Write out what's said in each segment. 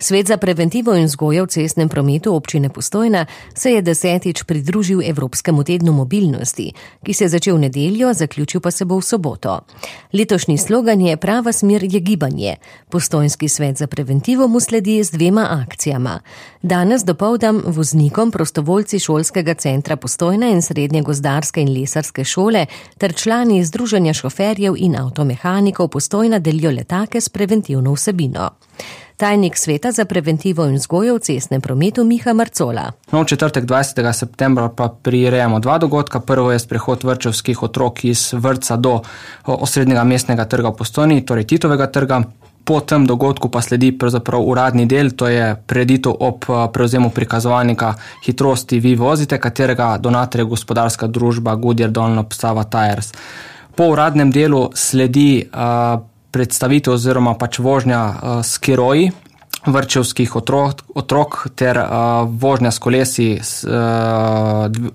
Svet za preventivo in vzgojo v cestnem prometu občine Postojna se je 10. pridružil Evropskemu tednu mobilnosti, ki se je začel v nedeljo, zaključil pa se bo v soboto. Letošnji slogan je Prava smer je gibanje. Postojnski svet za preventivo mu sledi z 2 akcijama. Danes dopoldan voznikom prostovoljci šolskega centra Postojna in srednje gozdarske in lesarske šole ter člani Združenja šoferjev in avtomehanikov Postojna delijo letake s preventivno vsebino. Tajnik Sveta za preventivo in vzgojo v cestnem prometu Miha Marcola. V četrtek 20. septembra pa prirejamo 2 dogodka. Prvo je sprehod vrtčevskih otrok iz vrtca do osrednjega mestnega trga v Postojni, torej Titovega trga. Po tem dogodku pa sledi pravzaprav uradni del, to je prireditev ob prevzemu prikazovalnika hitrosti Vi vozite, katerega donator je gospodarska družba Goodyear Dunlop Sava Tires. Po uradnem delu sledi predstavitev oziroma pač vožnja s keroji vrtčevskih otrok ter vožnja s kolesi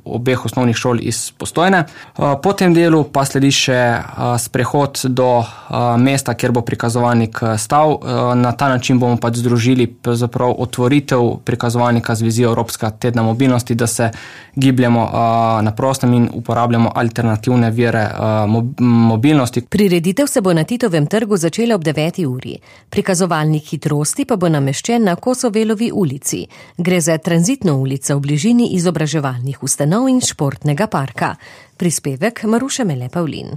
obeh osnovnih šol iz Postojne. Po tem delu pa sledi še sprehod do mesta, kjer bo prikazovalnik stal. Na ta način bomo pač združili pravzaprav otvoritev prikazovalnika z vizijo Evropskega tedna mobilnosti, da se gibljemo na prostem in uporabljamo alternativne vire mobilnosti. Prireditev se bo na Titovem trgu začela ob 9. uri. Prikazovalnik hitrosti pa bo nameščen na Kosovelovi ulici. Gre za tranzitno ulico v bližini izobraževalnih ustanov in športnega parka. Prispevek Maruše Mele Pavlin.